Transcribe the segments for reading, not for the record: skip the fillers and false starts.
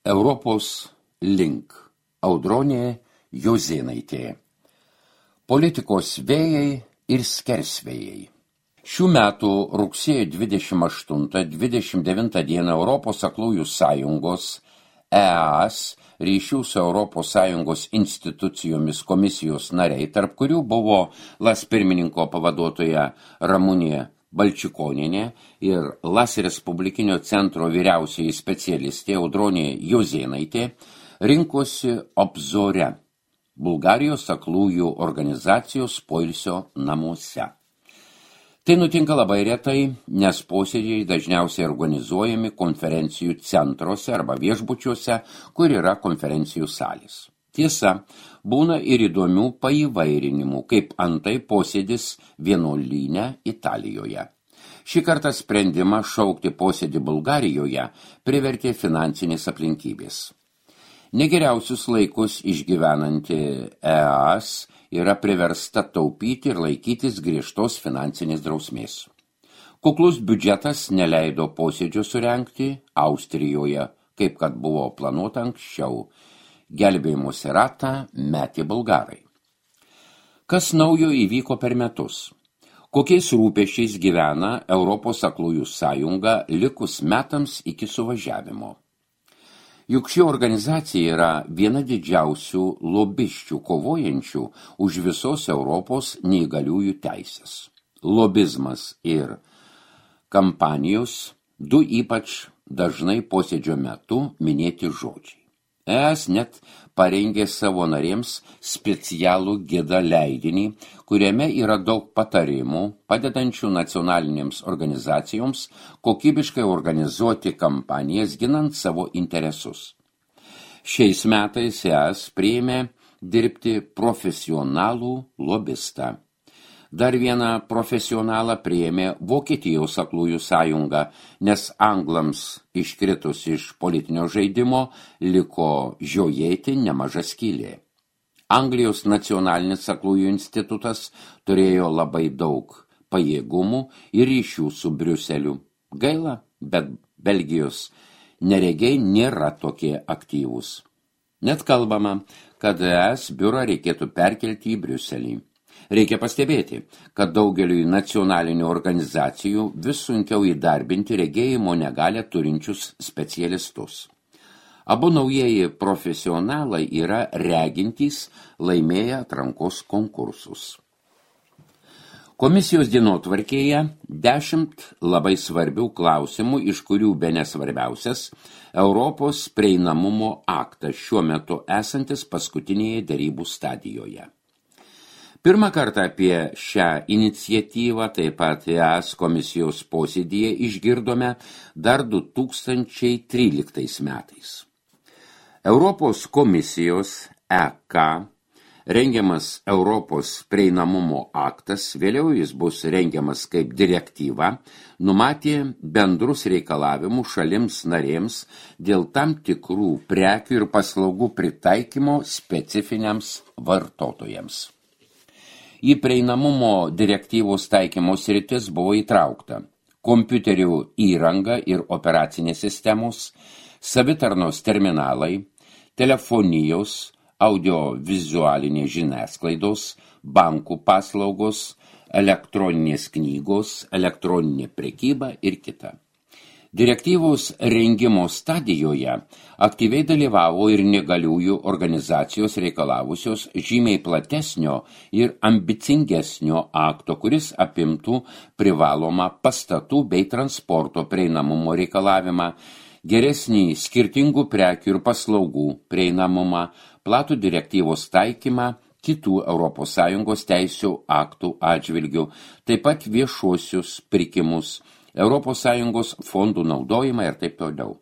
Europos link. Audronė Jozėnaitė. Politikos vėjai ir skersvėjai. Šių metų rugsėjo 28-29 dieną Europos aklųjų sąjungos EAS ryšių su Europos Sąjungos institucijomis komisijos nariai, tarp kurių buvo LAS pirmininko pavaduotoja Ramunė Balčikonienė ir LAS Respublikinio centro vyriausioji specialistė Audronė Jozėnaitė, rinkosi Obzore, Bulgarijos aklųjų organizacijos poilsio namuose. Tai nutinka labai retai, nes posėdžiai dažniausiai organizuojami konferencijų centruose arba viešbučiuose, kur yra konferencijų salės. Tiesa, būna ir įdomių paįvairinimų, kaip antai posėdis vienuolyne Italijoje. Šį kartą sprendimą šaukti posėdį Bulgarijoje privertė finansinės aplinkybės. Negeriausius laikus išgyvenanti EAS yra priversta taupyti ir laikytis griežtos finansinės drausmės. Kuklus biudžetas neleido posėdžio surengti Austrijoje, kaip kad buvo planuota anksčiau. Gelbėjimosi ratą metė bulgarai. Kas naujo įvyko per metus? Kokiais rūpesčiais gyvena Europos aklųjų sąjunga likus metams iki suvažiavimo? Juk ši organizacija yra viena didžiausių lobisčių kovojančių už visos Europos neįgaliųjų teisės. Lobizmas ir kampanijos du ypač dažnai posėdžio metu minėti žodžiai. ES net parengė savo narėms specialų gidą leidinį, kuriame yra daug patarimų, padedančių nacionalinėms organizacijoms kokybiškai organizuoti kampanijas ginant savo interesus. Šiais metais ES priėmė dirbti profesionalų lobistą. Dar vieną profesionalą priėmė Vokietijos aklųjų sąjunga, nes anglams iškritus iš politinio žaidimo liko žiojėti nemaža skylė. Anglijos nacionalinis aklųjų institutas turėjo labai daug pajėgumų ir ryšių su Briuseliu. Gaila, bet Belgijos neregiai nėra tokie aktyvūs. Net kalbama, kad ES biurą reikėtų perkelti į Briuselį. Reikia pastebėti, kad daugeliui nacionalinių organizacijų vis sunkiau įdarbinti regėjimo negalią turinčius specialistus. Abu naujieji profesionalai yra regintys, laimėję atrankos konkursus. Komisijos dienotvarkėje 10 labai svarbių klausimų, iš kurių bene svarbiausias Europos prieinamumo aktas šiuo metu esantis paskutinėje derybų stadijoje. Pirmą kartą apie šią iniciatyvą, taip pat EAS komisijos posėdyje išgirdome dar 2013 metais. Europos komisijos EK rengiamas Europos prieinamumo aktas, vėliau jis bus rengiamas kaip direktyva, numatė bendrus reikalavimus šalims narėms dėl tam tikrų prekių ir paslaugų pritaikymo specifiniams vartotojams. Į prieinamumo direktyvos taikymo sritis buvo įtraukta kompiuterių įranga ir operacinės sistemos, savitarnos terminalai, telefonijos, audiovizualinės žiniasklaidos, bankų paslaugos, elektroninės knygos, elektroninė prekyba ir kita. Direktyvos rengimo stadijoje aktyviai dalyvavo ir negaliųjų organizacijos reikalavusios žymiai platesnio ir ambicingesnio akto, kuris apimtų privalomą pastatų bei transporto prieinamumo reikalavimą, geresnį skirtingų prekių ir paslaugų prieinamumą, platų direktyvos taikymą kitų ES teisių aktų atžvilgių, taip pat viešuosius pirkimus, ES fondų naudojimą ir taip toliau.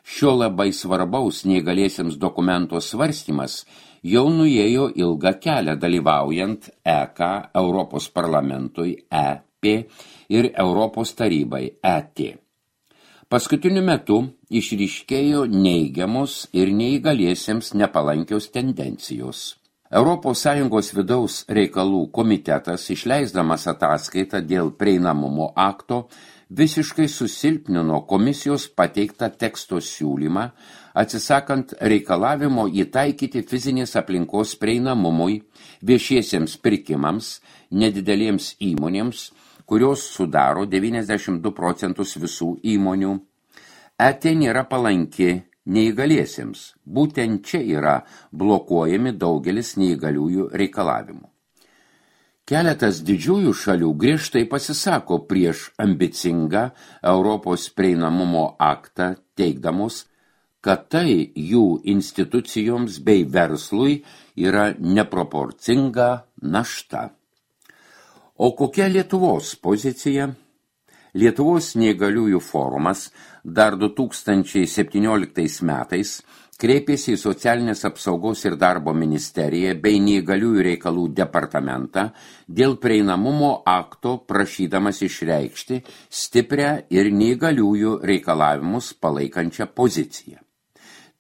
Šio labai svarbaus neįgaliesiems dokumento svarstymas jau nuėjo ilgą kelią dalyvaujant EK, Europos parlamentui EP ir Europos tarybai ET. Paskutiniu metu išryškėjo neigiamos ir neįgaliesiems nepalankios tendencijos. ES vidaus reikalų komitetas, išleisdamas ataskaitą dėl prieinamumo akto, visiškai susilpnino komisijos pateiktą teksto siūlymą, atsisakant reikalavimo įtaikyti fizinės aplinkos prieinamumui, viešiesiems pirkimams, nedidelėms įmonėms, kurios sudaro 92% visų įmonių. ET nėra palanki neįgaliesiems. Būtent čia yra blokuojami daugelis neįgaliųjų reikalavimų. Keletas didžiųjų šalių griežtai pasisako prieš ambicingą Europos prieinamumo aktą, teigdamos, kad tai jų institucijoms bei verslui yra neproporcinga našta. O kokia Lietuvos pozicija? Lietuvos neįgaliųjų forumas dar 2017 metais kreipėsi į Socialinės apsaugos ir darbo ministeriją bei neįgaliųjų reikalų departamentą dėl prieinamumo akto, prašydamas išreikšti stiprią ir neįgaliųjų reikalavimus palaikančią poziciją.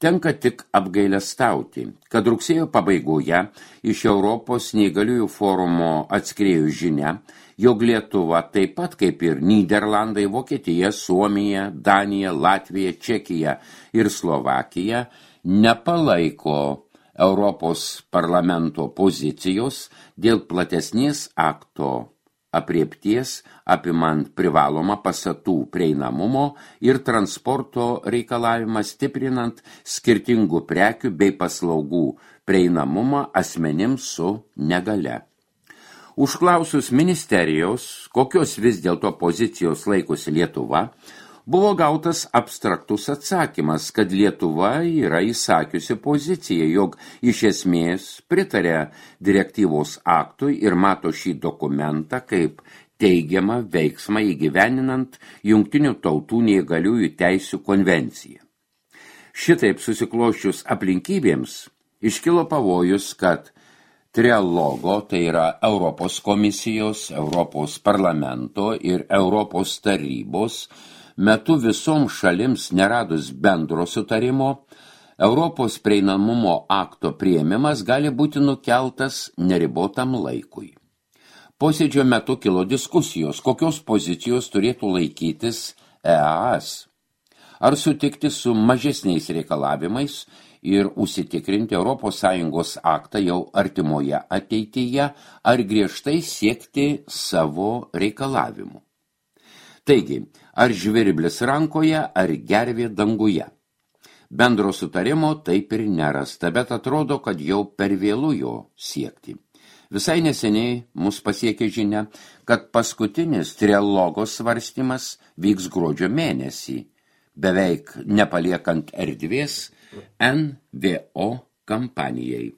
Tenka tik apgailestauti, kad rugsėjo pabaigoje iš Europos neįgaliųjų forumo atskriejo žinia, jog Lietuva taip pat kaip ir Nyderlandai, Vokietija, Suomija, Danija, Latvija, Čekija ir Slovakija nepalaiko Europos parlamento pozicijos dėl platesnės akto apriepties, apimant privalomą pastatų prieinamumo ir transporto reikalavimą, stiprinant skirtingų prekių bei paslaugų prieinamumą asmenims su negalia. Užklausus ministerijos, kokios vis dėlto pozicijos laikosi Lietuva, buvo gautas abstraktus atsakymas, kad Lietuva yra įsakiusi poziciją, jog iš esmės pritarė direktyvos aktui ir mato šį dokumentą kaip teigiamą veiksmą įgyveninant Jungtinių tautų neįgaliųjų teisių konvenciją. Šitaip susiklosčius aplinkybėms iškilo pavojus, kad trialogo, tai yra Europos komisijos, Europos parlamento ir Europos tarybos, metu visoms šalims neradus bendro sutarimo, Europos prieinamumo akto priėmimas gali būti nukeltas neribotam laikui. Posėdžio metu kilo diskusijos, kokios pozicijos turėtų laikytis EAS. Ar sutikti su mažesniais reikalavimais ir užsitikrinti ES aktą jau artimoje ateityje, ar griežtai siekti savo reikalavimų. Taigi, ar žvirblis rankoje, ar gervė danguje. Bendro sutarimo taip ir nerasta, bet atrodo, kad jau per vėlu jo siekti. Visai neseniai mus pasiekė žinia, kad paskutinis trialogo svarstymas vyks gruodžio mėnesį, beveik nepaliekant erdvės NVO kampanijai.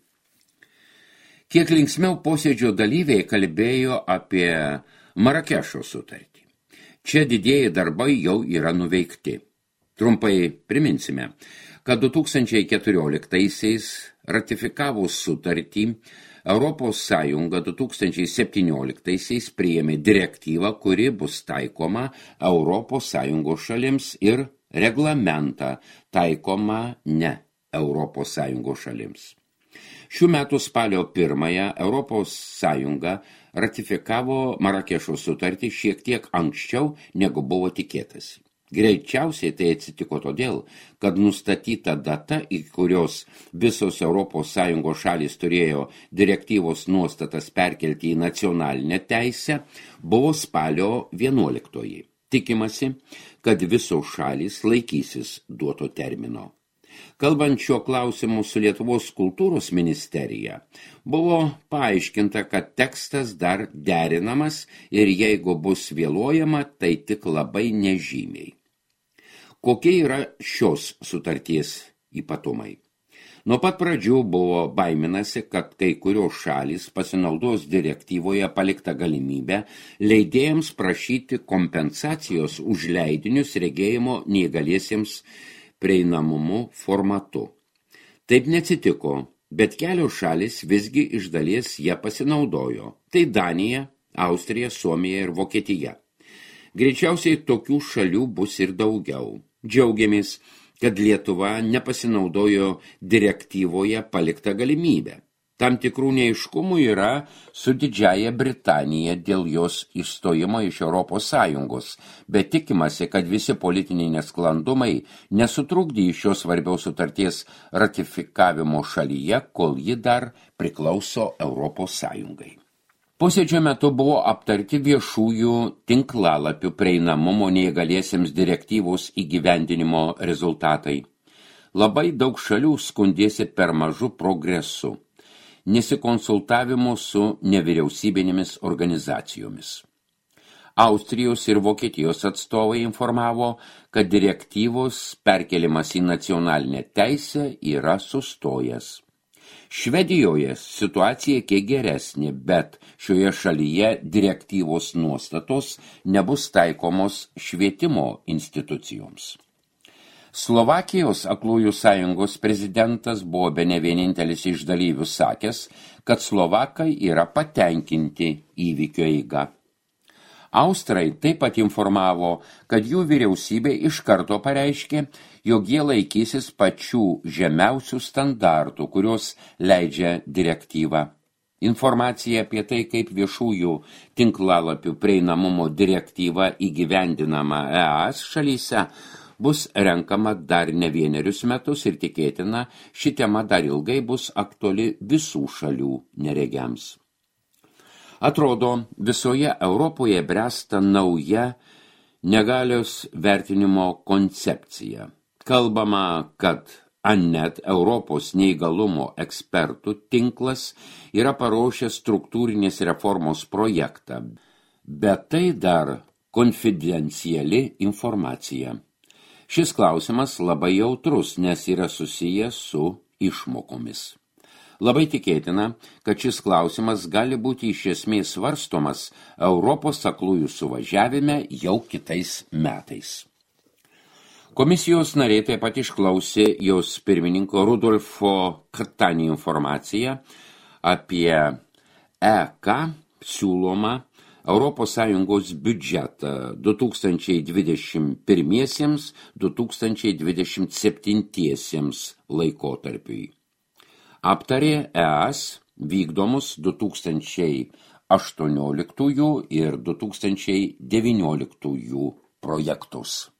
Kiek linksmiau posėdžio dalyviai kalbėjo apie Marakešo sutartį. Čia didieji darbai jau yra nuveikti. Trumpai priminsime, kad 2014-aisiais ratifikavus sutartį, Europos Sąjunga 2017-aisiais priėmė direktyvą, kuri bus taikoma Europos Sąjungos šalims ir reglamentą taikoma ne Europos Sąjungos šalims. Šių metų spalio 1 Europos Sąjunga ratifikavo Marakešo sutartį šiek tiek anksčiau, negu buvo tikėtasi. Greičiausiai tai atsitiko todėl, kad nustatyta data, į kurios visos Europos Sąjungos šalys turėjo direktyvos nuostatas perkelti į nacionalinę teisę, buvo spalio 11. Tikimasi, kad visos šalys laikysis duoto termino. Kalbant šio klausimu su Lietuvos kultūros ministerija, buvo paaiškinta, kad tekstas dar derinamas ir jeigu bus vėluojama, tai tik labai nežymiai. Kokie yra šios sutarties ypatumai? Nuo pat pradžių buvo baiminasi, kad kai kurios šalys pasinaudos direktyvoje paliktą galimybę leidėjams prašyti kompensacijos už leidinius regėjimo neįgaliesiems prieinamumu formatu. Taip neatsitiko, bet kelios šalis visgi iš dalies ją pasinaudojo. Tai Danija, Austrija, Suomija ir Vokietija. Greičiausiai tokių šalių bus ir daugiau. Džiaugiamės, kad Lietuva nepasinaudojo direktyvoje paliktą galimybę. Tam tikrų neaiškumų yra su Didžiąja Britanija dėl jos išstojimo iš Europos Sąjungos, bet tikimasi, kad visi politiniai nesklandumai nesutrukdys šios svarbiaus sutarties ratifikavimo šalyje, kol ji dar priklauso Europos Sąjungai. Posėdžio metu buvo aptarti viešųjų tinklalapių prieinamumo neįgaliesiems direktyvos įgyvendinimo rezultatai. Labai daug šalių skundėsi per mažu progresu, nesikonsultavimu su nevyriausybinėmis organizacijomis. Austrijos ir Vokietijos atstovai informavo, kad direktyvos perkelimas į nacionalinę teisę yra sustojęs. Švedijoje situacija kiek geresnė, bet šioje šalyje direktyvos nuostatos nebus taikomos švietimo institucijoms. Slovakijos aklųjų sąjungos prezidentas buvo bene vienintelis iš dalyvių sakęs, kad slovakai yra patenkinti įvykio eiga. Austrai taip pat informavo, kad jų vyriausybė iš karto pareiškė, jog jie laikysis pačių žemiausių standartų, kurios leidžia direktyvą. Informacija apie tai, kaip viešųjų tinklalapių prieinamumo direktyva įgyvendinama ES šalyse, bus renkama dar ne vienerius metus ir tikėtina, ši tema dar ilgai bus aktuali visų šalių neregiams. Atrodo, visoje Europoje bręsta nauja negalios vertinimo koncepcija. Kalbama, kad ANNET Europos neįgalumo ekspertų tinklas yra paruošęs struktūrinės reformos projektą, bet tai dar konfidenciali informacija. Šis klausimas labai jautrus, nes yra susijęs su išmokomis. Labai tikėtina, kad šis klausimas gali būti iš esmės svarstomas Europos aklųjų suvažiavime jau kitais metais. Komisijos nariai taip pat išklausė jos pirmininko Rudolfo Catani informaciją apie EK siūlomą Europos Sąjungos biudžetą 2021–2027 laikotarpiui. Aptarė ES vykdomus 2018 ir 2019 projektus.